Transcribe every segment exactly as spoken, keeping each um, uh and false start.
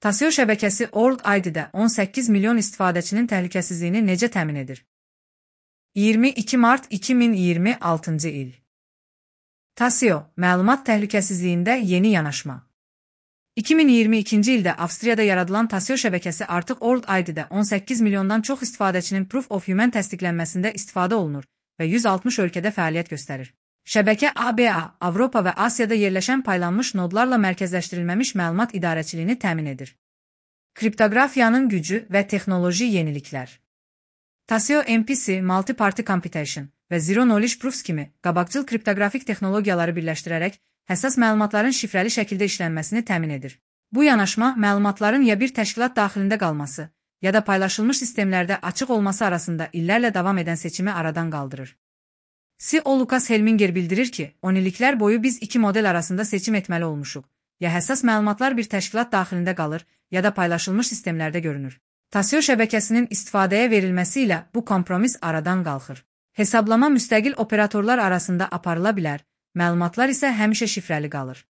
Tasio şəbəkəsi World I D-də on səkkiz milyon istifadəçinin təhlükəsizliyini necə təmin edir? iyirmi iki mart iki min iyirmi altıncı il. Tasio, məlumat təhlükəsizliyində yeni yanaşma. iki min iyirmi ikinci ildə Avstriyada yaradılan Tasio şəbəkəsi artıq World I D-də on səkkiz milyondan çox istifadəçinin Proof of Human təsdiqlənməsində istifadə olunur və yüz altmış ölkədə fəaliyyət göstərir. Şəbəkə A B A, Avropa və Asiyada yerləşən paylanmış nodlarla mərkəzləşdirilməmiş məlumat idarəçiliyini təmin edir. Kriptoqrafiyanın gücü və texnoloji yeniliklər. Tasio M P C, Multi-Party Computation və Zero Knowledge Proofs kimi qabaqcıl kriptoqrafik texnologiyaları birləşdirərək həssas məlumatların şifrəli şəkildə işlənməsini təmin edir. Bu yanaşma məlumatların ya bir təşkilat daxilində qalması, ya da paylaşılmış sistemlərdə açıq olması arasında illərlə davam edən seçimi aradan qaldırır. C E O Lucas Helminger bildirir ki, on illiklər boyu biz iki model arasında seçim etməli olmuşuq. Ya həssas məlumatlar bir təşkilat daxilində qalır, ya da paylaşılmış sistemlərdə görünür. Tasio şəbəkəsinin istifadəyə verilməsi ilə bu kompromis aradan qalxır. Hesablama müstəqil operatorlar arasında aparıla bilər, məlumatlar isə həmişə şifrəli qalır.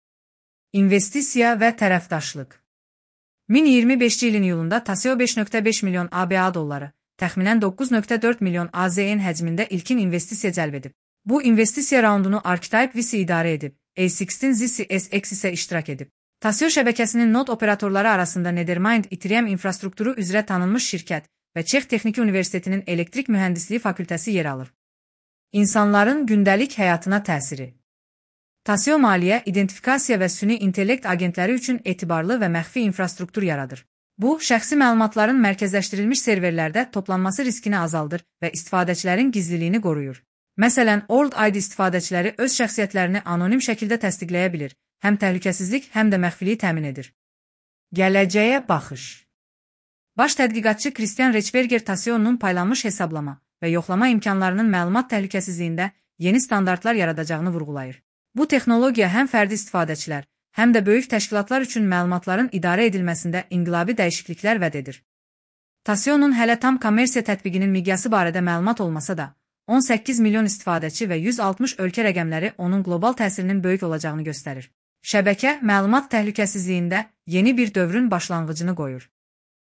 İnvestisiya və tərəfdaşlıq. iki min iyirmi beşinci ilin iyulunda Tasio beş nöqtə beş milyon A B A dolları, təxminən doqquz nöqtə dörd milyon A Z N həcmində ilkin investisiya cəlb edib. Bu investisiya raundunu Archetype V C idarə edib, A on altı Z C S X isə iştirak edib. Tasio şəbəkəsinin nod operatorları arasında Nethermind Ethereum infrastrukturu üzrə tanınmış şirkət və Çex Texniki Universitetinin Elektrik Mühəndisliyi fakültəsi yer alır. İnsanların gündəlik həyatına təsiri. Tasio maliyyə, identifikasiya və süni intellekt agentləri üçün etibarlı və məxfi infrastruktur yaradır. Bu, şəxsi məlumatların mərkəzləşdirilmiş serverlərdə toplanması riskini azaldır və istifadəçilərin gizliliyini qoruyur. Məsələn, World I D istifadəçiləri öz şəxsiyyətlərini anonim şəkildə təsdiqləyə bilir, həm təhlükəsizlik, həm də məxfiliyi təmin edir. Gələcəyə baxış. Baş tədqiqatçı Christian Rechberger Tasio'nun paylanmış hesablama və yoxlama imkanlarının məlumat təhlükəsizliyində yeni standartlar yaradacağını vurğulayır. Bu texnologiya həm fərdi istifadəçilər, həm də böyük təşkilatlar üçün məlumatların idarə edilməsində inqilabi dəyişikliklər vəd edir. Tasio'nun hələ tam kommersiya tətbiqinin miqyası barədə məlumat olmasa da, on səkkiz milyon istifadəçi və yüz altmış ölkə rəqəmləri onun qlobal təsirinin böyük olacağını göstərir. Şəbəkə, məlumat təhlükəsizliyində yeni bir dövrün başlanğıcını qoyur.